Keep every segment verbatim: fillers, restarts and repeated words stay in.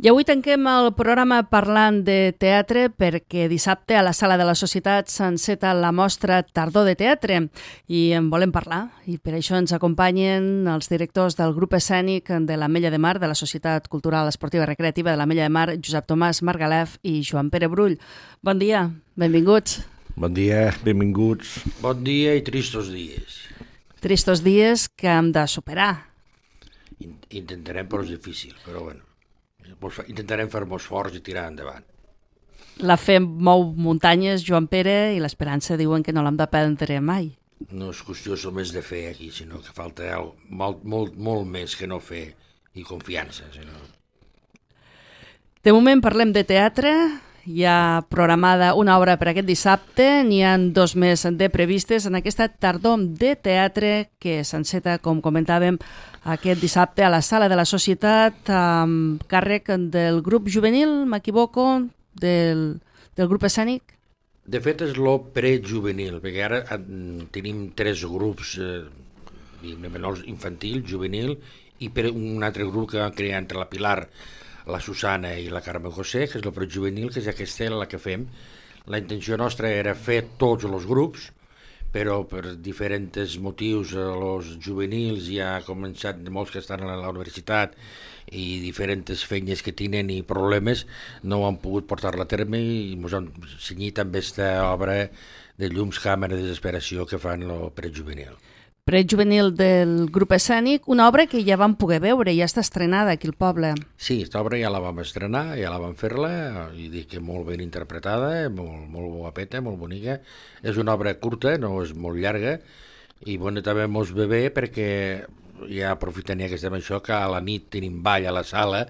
I avui tanquem el programa parlant de teatre perquè dissabte a la Sala de la Societat s'enceta la mostra Tardor de Teatre i en volem parlar. I per això ens acompanyen els directors del grup escènic de l'Ametlla de Mar, de la Societat Cultural Esportiva i Recreativa de l'Ametlla de Mar, Josep Tomàs Margalef i Joan Pere Brull. Bon dia, benvinguts. Bon dia, benvinguts. Bon dia i tristos dies. Tristos dies que hem de superar. Intentarem, però és difícil, però bueno. Intentarem fer-nos forts i tirar endavant. La fe mou muntanyes, Joan Pere, i l'esperança diuen que no l'hem de prendre mai. No és qüestió només de fer aquí, sinó que falta molt, molt, molt més que no fer i confiança. Sinó... De moment parlem de teatre. Hi ha programada una obra per aquest dissabte, n'hi ha dos més de previstes en aquesta tardor de teatre que s'enceta, com comentàvem, aquest dissabte a la Sala de la Societat amb càrrec del grup juvenil, m'equivoco, del, del grup escènic? De fet és lo prejuvenil, perquè ara tenim tres grups, eh, menors infantil, juvenil, i per un altre grup que van crear entre la Pilar, la Susana i la Carme José, que és el prejuvenil, que és aquesta la que fem. La intenció nostra era fer tots els grups, però per diferents motius els juvenils ja han començat, molts que estan a la universitat i diferents feines que tenen i problemes no han pogut portar-la a terme i ens han cenyit amb aquesta obra de llums, càmera de desesperació que fan el prejuvenil. Prejuvenil del grup escènic, una obra que ja vam poder veure, ja està estrenada aquí al poble. Sí, aquesta obra ja la vam estrenar, ja la vam fer-la, i dic que molt ben interpretada, molt, molt guapeta, molt bonica. És una obra curta, no és molt llarga, i bueno, també mos ve bé perquè ja aprofitant ja que estem això, que a la nit tenim ball a la sala,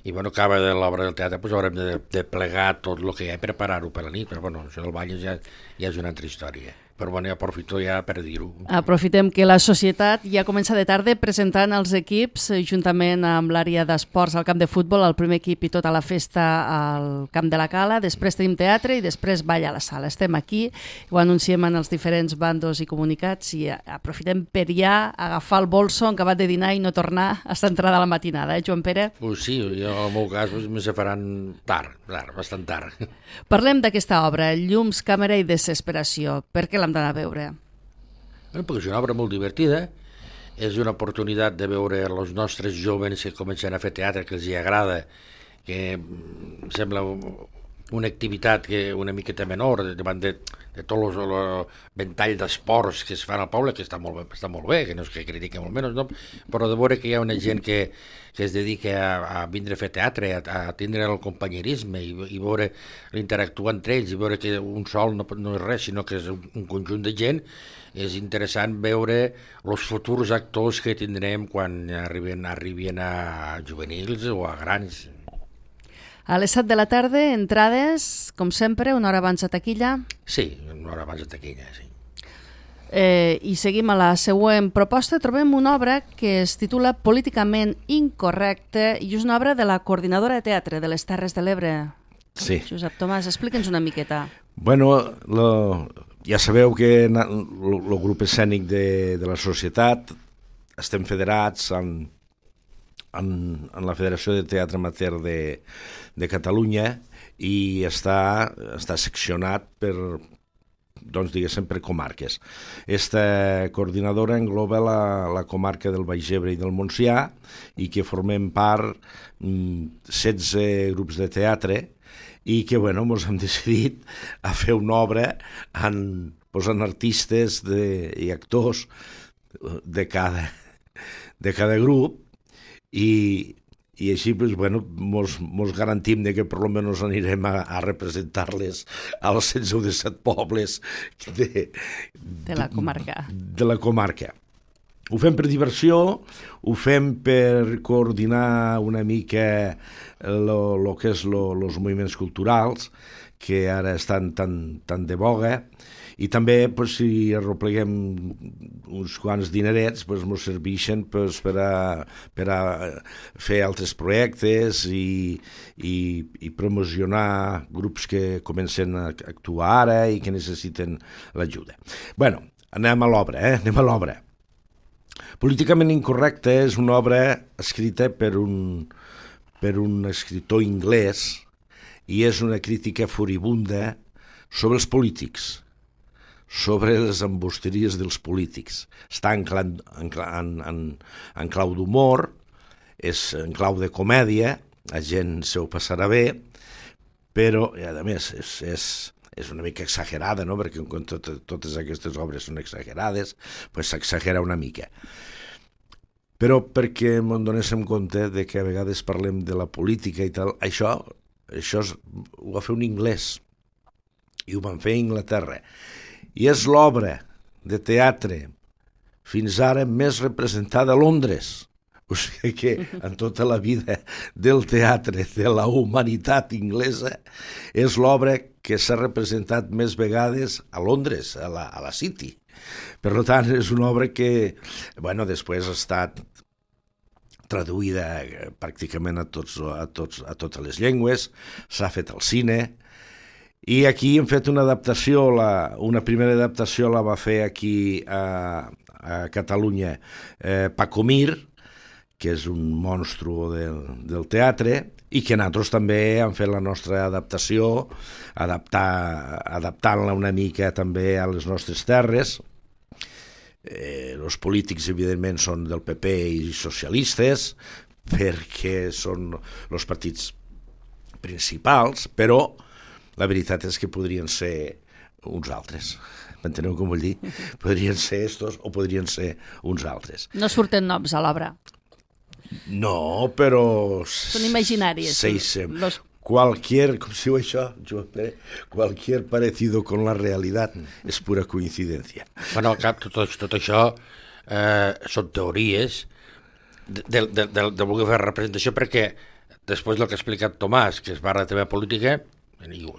i bueno, acaba de l'obra del teatre, doncs haurem de, de plegar tot el que hi ha i preparar-ho per la nit, però bueno, això del ball ja, ja és una altra història. Però bueno, ja aprofito ja per dir-ho. Aprofitem que la societat ja comença de tarda presentant els equips, juntament amb l'àrea d'esports al camp de futbol, el primer equip i tota la festa al camp de la Cala, després tenim teatre i després ball a la sala. Estem aquí, ho anunciem en els diferents bandos i comunicats i aprofitem per ja agafar el bolso en acabat de dinar i no tornar a estar entrada a la matinada, eh, Joan Pere? Pues sí, jo, en el meu cas pues, me se faran tard, tard, bastant tard. Parlem d'aquesta obra, Llums, càmera i desesperació. Per què l'hem d'anar a veure? Bueno, perquè és una obra molt divertida, és una oportunitat de veure els nostres jóvens que comencen a fer teatre, que els hi agrada, que sembla una activitat que una miqueta menor davant de, de tot el ventall d'esports que es fan al poble, que està molt, està molt bé, que no és que critica molt menys, no? Però de veure que hi ha una gent que, que es dedica a, a vindre a fer teatre, a, a tindre el companyerisme i, i veure l'interactuar entre ells i veure que un sol no, no és res, sinó que és un, un conjunt de gent. És interessant veure els futurs actors que tindrem quan arriben, arriben a juvenils o a grans. A les set de la tarda, entrades, com sempre, una hora abans de taquilla. Sí, una hora abans de taquilla, sí. Eh, I seguim a la següent proposta. Trobem una obra que es titula Políticament incorrecte i és una obra de la Coordinadora de Teatre de les Terres de l'Ebre. Sí. Josep Tomàs, explica'ns una miqueta. Bueno, lo, ja sabeu que el grup escènic de, de la societat estem federats amb En, en la Federació de Teatre Amateur de, de Catalunya i està, està seccionat per, doncs diguéssim, per comarques. Esta coordinadora engloba la, la comarca del Baix Ebre i del Montsià i que formem part setze grups de teatre i que, bueno, ens hem decidit a fer una obra en, posant artistes de, i actors de cada, de cada grup. I, i així pues, bueno, mos, mos garantim de que per almenys anirem a, a representar-les als setze o disset pobles de, de la comarca. De la comarca. Ho fem per diversió, ho fem per coordinar una mica el que és els moviments culturals, que ara estan tan, tan de boga, i també pues, si arropleguem uns quants dinerets pues, ens serveixen pues, per, a, per a fer altres projectes i, i, i promocionar grups que comencen a actuar ara i que necessiten l'ajuda. Bueno, anem a l'obra, eh? anem a l'obra. Políticament incorrecte és una obra escrita per un, per un escriptor anglès i és una crítica furibunda sobre els polítics, sobre les embusteries dels polítics. Està en, clan, en, en, en, en clau d'humor, és en clau de comèdia, la gent se ho passarà bé, però, i a més, és, és, és una mica exagerada, no? Perquè quan tot, totes aquestes obres són exagerades, pues s'exagera una mica. Però perquè ens donéssim compte de que a vegades parlem de la política i tal, això, això és, ho va fer un anglès, i ho van fer a Anglaterra. I és l'obra de teatre fins ara més representada a Londres. O sigui que en tota la vida del teatre de la humanitat inglesa és l'obra que s'ha representat més vegades a Londres, a la, a la City. Per tant, és una obra que, bueno, després ha estat traduïda pràcticament a, tots, a, tots, a totes les llengües, s'ha fet al cine, i aquí hem fet una adaptació, la, una primera adaptació la va fer aquí a, a Catalunya eh, Paco Mir, que és un monstru del, del teatre, i que nosaltres també hem fet la nostra adaptació, adaptar, adaptant-la una mica també a les nostres terres. Eh, els polítics, evidentment, són del P P i socialistes, perquè són els partits principals, però la veritat és que podrien ser uns altres. M'enteneu com vull dir? Podrien ser estos o podrien ser uns altres. No surten noms a l'obra. No, però... Són imaginaris. Sí, sí. Los... Cualquier, com si diu això, Joan Pere, cualquier parecido con la realidad és pura coincidència. Bueno, al cap, tot, tot això eh, són teories de, de, de, de, de voler fer representació, perquè després del que ha explicat Tomàs, que es parla també de política,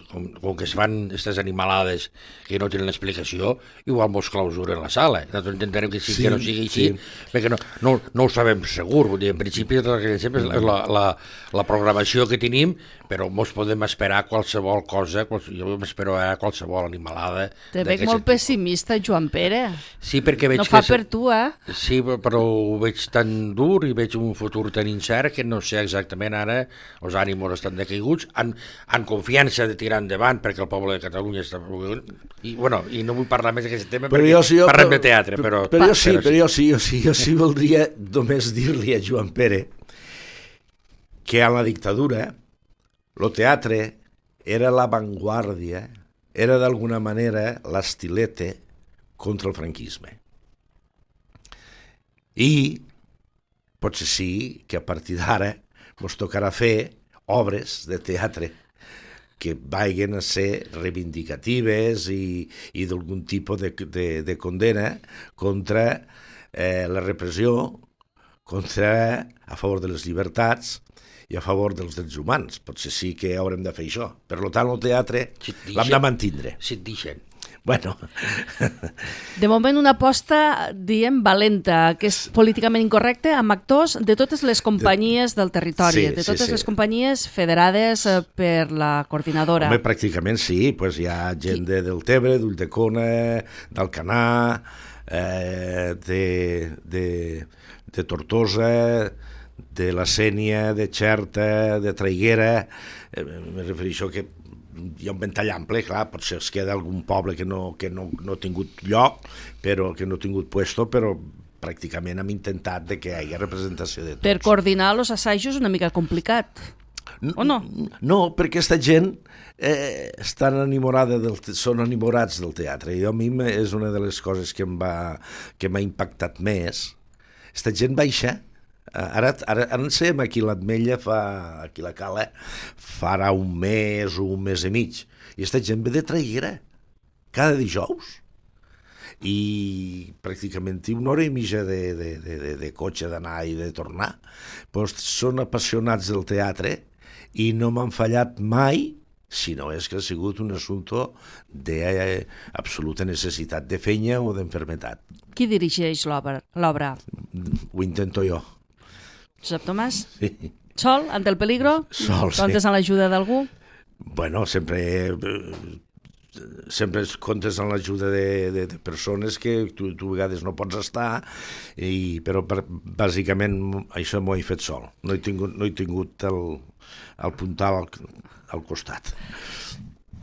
com, com que es fan aquestes animalades que no tenen explicació, igual mos clausuren la sala. Nosaltres intentarem que, sí, sí, que no sigui així, sí. Perquè no, no, no ho sabem segur. Vull dir, en principi, tot el que sempre és la, la, la programació que tenim, però mos podem esperar qualsevol cosa, jo m'espero a qualsevol animalada. Te veig molt pessimista, Joan Pere. Sí, perquè veig no fa que... per tu, eh? Sí, però ho veig tan dur i veig un futur tan incert que no sé exactament ara, els ànimos estan decaiguts, en, en confiança de tirar endavant perquè el poble de Catalunya està... I, bueno, i no vull parlar més d'aquest tema però perquè jo, sí, jo, parlem però, de teatre, però... Però, però, jo sí, però, però jo sí, jo sí, jo sí voldria només dir-li a Joan Pere que a la dictadura el teatre era l'avantguàrdia, era d'alguna manera l'estilete contra el franquisme. I potser sí que a partir d'ara ens tocarà fer obres de teatre que vagin a ser reivindicatives i, i d'algun tipus de, de, de condena contra eh, la repressió, contra a favor de les llibertats i a favor dels drets humans. Potser sí que haurem de fer això. Per tant, el teatre si l'hem de mantindre. Si et deixen. Bueno. De moment una aposta, diem, valenta, que és políticament incorrecta, amb actors de totes les companyies del territori, sí, de totes sí, sí. les companyies federades per la coordinadora. Home, pràcticament sí, pues hi ha gent de Deltebre, d'Ulldecona, d'Alcanar, eh, de, de, de Tortosa, de la Sénia, de Xerta, de Traiguera, eh, me refereixo que hi ha un ventall ample, clar, potser es queda algun poble que no, que no, no ha tingut lloc, però que no ha tingut puesto, però pràcticament hem intentat de que hi hagi representació de tots. Per coordinar els assajos és una mica complicat, o no? No, perquè aquesta gent eh, estan enamorada del, són enamorats del teatre, i a mi és una de les coses que em va, que m'ha impactat més. Aquesta gent baixa. Ara, ara, ara en sem aquí l'Ametlla fa, aquí la Cala farà un mes o un mes i mig i aquesta gent ve de Traiguera cada dijous i pràcticament té una hora i mitja de, de, de, de, de cotxe d'anar i de tornar. Pues són apassionats del teatre i no m'han fallat mai, si no és que ha sigut un assumpte d'absoluta necessitat de feina o d'enfermetat. Qui dirigeix l'obra? Ho intento jo. Josep Tomàs? Sí. Sol, ante el peligro? Sol, sí. Comptes amb l'ajuda d'algú? Bueno, sempre sempre comptes amb l'ajuda de, de, de persones que tu, tu a vegades no pots estar, i, però per, bàsicament això m'ho he fet sol. No he tingut, no he tingut el, el puntal al, al costat.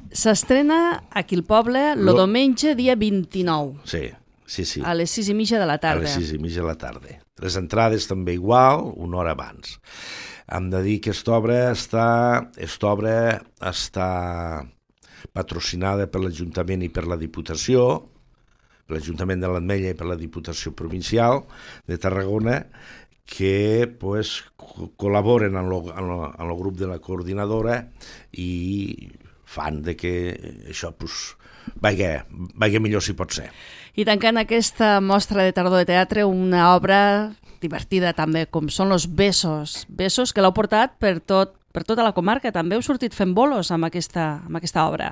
S'estrena aquí al poble el Lo... diumenge dia vint-i-nou. Sí, sí, sí. A les sis i mitja de la tarda. A les sis i mitja de la tarda. Les entrades també igual, una hora abans. Hem de dir que aquesta obra està, aquesta obra està patrocinada per l'Ajuntament i per la Diputació, per l'Ajuntament de l'Ametlla i per la Diputació Provincial de Tarragona, que pues, col·laboren en el grup de la coordinadora i fan de que això pues, vagi, vagi millor si pot ser. I tancant aquesta mostra de tardor de teatre, una obra divertida també, com són los Besos. Besos que l'heu portat per, tot, per tota la comarca. També heu sortit fent bolos amb aquesta, amb aquesta obra.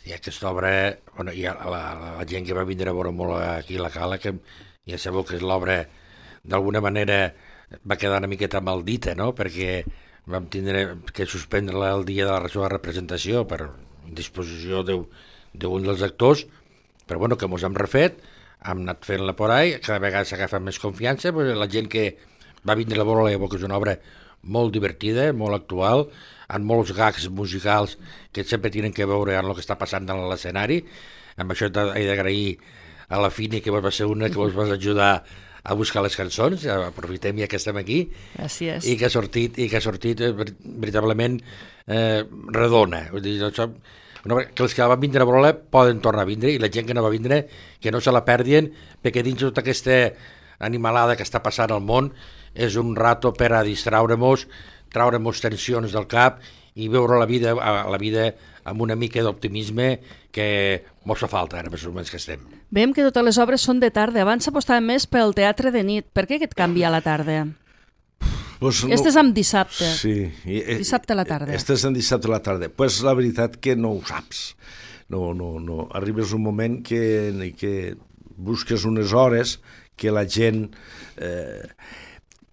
Sí, aquesta obra, bueno, hi ha la, la gent que va vindre a veure molt aquí a la Cala, que ja sabeu que l'obra d'alguna manera va quedar una miqueta maldita, no? Perquè vam tindre que suspendre-la el dia de la seva representació per indisposició d'un dels actors, però bueno, que mos hem refet, hem anat fent-la por ahí, cada vegada s'agafa més confiança, pues la gent que va vindre a veure-la, que és una obra molt divertida, molt actual, amb molts gags musicals que sempre tenen que veure amb el que està passant a l'escenari. Amb això he d'agrair a la Fini, que va ser una que vos va ajudar a buscar les cançons, aprofitem ja que estem aquí. Gràcies. I que ha sortit, i que ha sortit veritablement eh, redona. Vull dir, això, que els que van vindre a veure poden tornar a vindre, i la gent que no va vindre que no se la perdien, perquè dins tota aquesta animalada que està passant al món és un rato per a distraure-nos, traure-nos tensions del cap i veure la vida, la vida amb una mica d'optimisme que mos fa falta ara, més o menys que estem. Veiem que totes les obres són de tarda. Abans s'apostava més pel teatre de nit. Per què aquest canvi a la tarda? Pues no, Estes amb dissabte. Sí. Dissabte a la tarda. Estes en dissabte a la tarda. Pues la veritat que no ho saps. No, no, no. Arribes un moment que, que busques unes hores que la gent... Eh,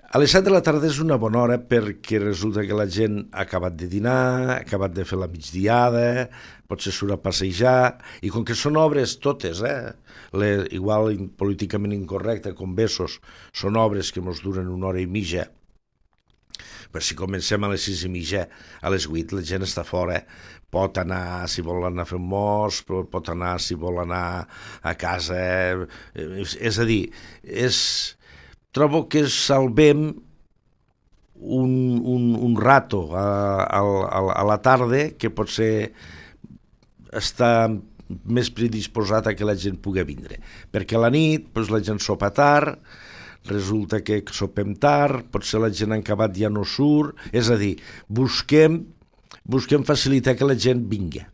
a les set de la tarda és una bona hora perquè resulta que la gent ha acabat de dinar, ha acabat de fer la migdiada, potser surt a passejar, i com que són obres totes, eh, le, igual políticament incorrecte, com Besos, són obres que ens duren una hora i mitja, però si comencem a les sis i mitja, a les vuit la gent està fora, pot anar, si vol anar a fer un mos, pot anar, si vol anar a casa, és, és a dir, és... Trobo que salvem un, un, un rato a, a, a la tarda que potser està més predisposat a que la gent pugui vindre. Perquè a la nit doncs, la gent sopa tard, resulta que sopem tard, potser la gent en acabat ja no surt, és a dir, busquem, busquem facilitar que la gent vingui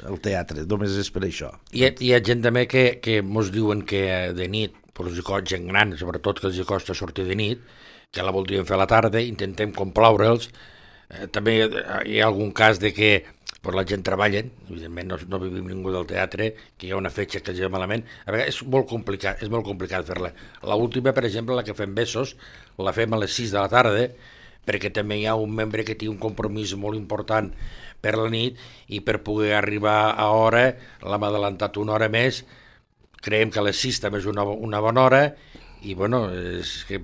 al teatre, només és per això. Hi ha, hi ha gent també que, que mos diuen que de nit, però els costa gent gran, sobretot que els costa sortir de nit, que la voldrien fer a la tarda, intentem complaure'ls. Eh, també hi ha algun cas de que pues, la gent treballa, evidentment no, no vivim ningú del teatre, que hi ha una fetge que els va malament. A vegades és molt complicat, és molt complicat fer-la. L'última, per exemple, la que fem Besos, la fem a les sis de la tarda, perquè també hi ha un membre que té un compromís molt important per la nit i per poder arribar a hora l'hem adelantat una hora més. Creiem que a les sis també és una, una bona hora i bueno, és que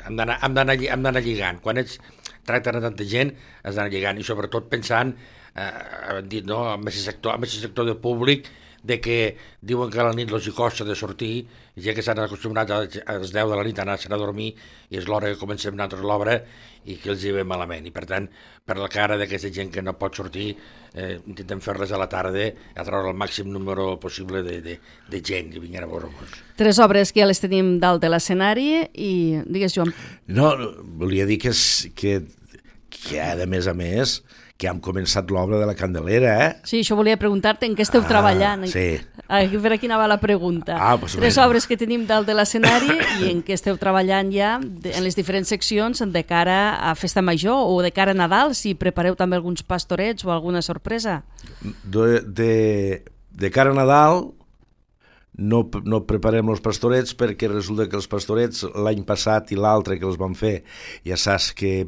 hem d'anar hem d'anar hem d'anar lligant. Quan ets tracten a tanta gent has d'anar lligant i sobretot pensant eh, hem dit, no, amb aquest sector, amb aquest sector de públic de que diuen que a la nit els hi costa de sortir, ja que s'han acostumat a les deu de la nit a anar a dormir i és l'hora que comencem nosaltres l'obra i que els hi ve malament. I per tant, per la cara d'aquesta gent que no pot sortir, eh, intentem fer-les a la tarda a treure el màxim número possible de, de, de gent i vinguin a veure-nos. Tres obres que ja les tenim dalt de l'escenari i digues, Joan. No, volia dir que, és, que, que a més a més que hem començat l'obra de la Candelera, eh? Sí, això volia preguntar-te en què esteu ah, treballant. Sí. Ah, per aquí anava la pregunta. Ah, pues Tres bé. obres que tenim dalt de l'escenari i en què esteu treballant ja de, en les diferents seccions de cara a Festa Major o de cara a Nadal, si prepareu també alguns pastorets o alguna sorpresa. De, de, de cara a Nadal no, no preparem els pastorets perquè resulta que els pastorets l'any passat i l'altre que els vam fer ja saps que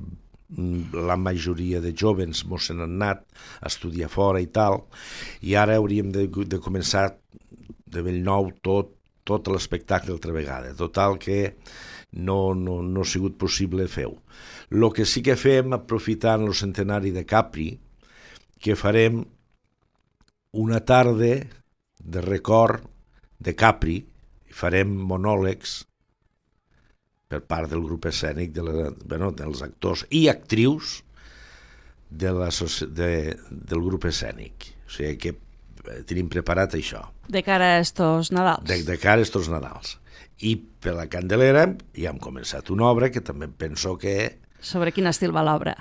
la majoria de jovens mos se n'han anat a estudiar fora i tal, i ara hauríem de, de començar de bell nou tot, tot l'espectacle altra vegada. Total que no, no, no ha sigut possible fer-ho. El que sí que fem, aprofitant el centenari de Capri, que farem una tarda de record de Capri, i farem monòlegs per part del grup escènic, de la, bueno, dels actors i actrius de la, de, del grup escènic. O sigui que tenim preparat això. De cara a estos Nadals. De, de cara a estos Nadals. I per la Candelera ja hem començat una obra que també penso que... Sobre quin estil va l'obra?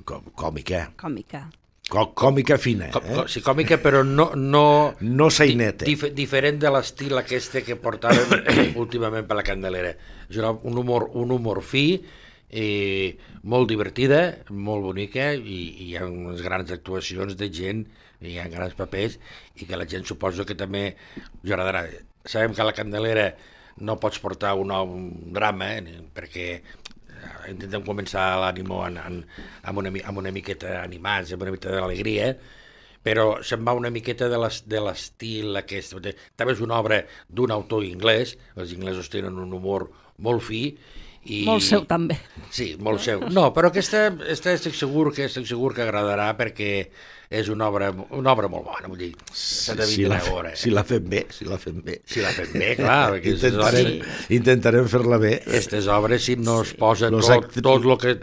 Còmica. Còmica. Còmica fina, eh? Com, sí, còmica, però no... No, no saineta. Dif, diferent de l'estil aquest que portàvem últimament per la Candelera. És un humor, un humor fi, eh, molt divertida, molt bonica, i, i hi ha unes grans actuacions de gent, hi ha grans papers, i que la gent suposo que també us agradarà. Sabem que a la Candelera no pots portar un, un drama, eh, perquè intentem començar l'ànimo amb una, amb una miqueta animats, amb una miqueta d'alegria, però se'n va una miqueta de l'estil aquest. També és una obra d'un autor anglès, els inglesos tenen un humor molt fi. I... Molt seu, també. Sí, molt seu. No, però aquesta, aquesta estic segur que estic segur que agradarà perquè és una obra, una obra molt bona, vull dir, s'ha de si, si, la, hora, eh? si la fem bé, si la fem bé. Si la fem bé, clar. Intentarem, sí. intentarem fer-la bé. Aquestes obres, si no es posa Los tot, actri... tot el que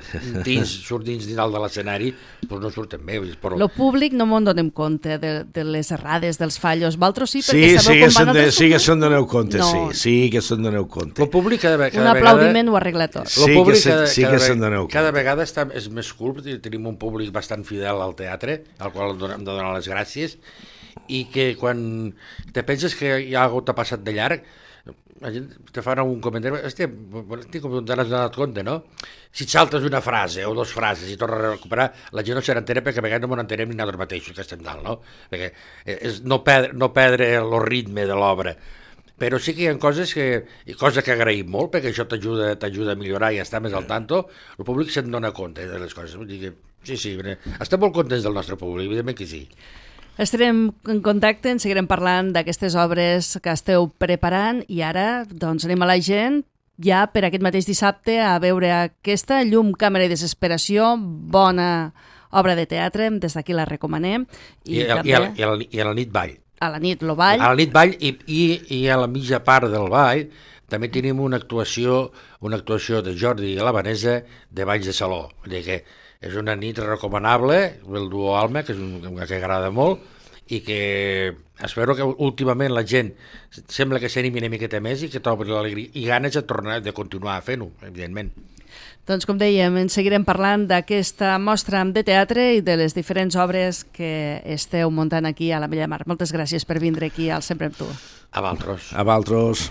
dins, surt dins dalt de l'escenari, doncs no surten bé. Però... Lo públic no me'n donem compte de, de les errades, dels fallos. Valtros sí, sí, perquè sabeu sí, com van de, altres... sí que se'n doneu compte, no. sí, sí que se'n doneu compte. El públic cada, cada Un aplaudiment vegada... ho arregla tot. Sí, públic que se, cada, sí cada, que se'n doneu compte. Cada vegada està, és més cool, tenim un públic bastant fidel al teatre, al qual hem de donar les gràcies, i que quan te penses que hi ha algú que t'ha passat de llarg, la gent te fan un comentari, hòstia, com te n'has donat compte, no? Si et saltes una frase o dues frases i tornes a recuperar, la gent no se n'entera perquè a vegades no m'ho entenem ni nosaltres mateixos que estem dalt, no? Perquè és no perdre, no perdre el ritme de l'obra. Però sí que hi ha coses que, cosa que agraïm molt, perquè això t'ajuda t'ajuda a millorar i a estar més al tanto, el públic se'n dona compte de les coses. Vull dir que, sí, sí, estem molt contents del nostre públic, evidentment que sí. Estarem en contacte, en seguirem parlant d'aquestes obres que esteu preparant i ara doncs, anem a la gent ja per aquest mateix dissabte a veure aquesta Llum, càmera i desesperació, bona obra de teatre, des d'aquí la recomanem. I, I, també... i, a, i, a, I a la nit ball. A la nit lo ball. A la nit ball i, i, i a la mitja part del ball també tenim una actuació, una actuació de Jordi i la Vanessa de Balls de Saló. Vull dir que és una nit recomanable, el duo Alma, que és un que agrada molt, i que espero que últimament la gent sembla que s'animi una miqueta més i que trobi l'alegria i ganes de tornar de continuar fent-ho, evidentment. Doncs com dèiem, en seguirem parlant d'aquesta mostra de teatre i de les diferents obres que esteu muntant aquí a l'Ametlla de Mar. Moltes gràcies per vindre aquí al Sempre amb tu. A Valtros. A Valtros.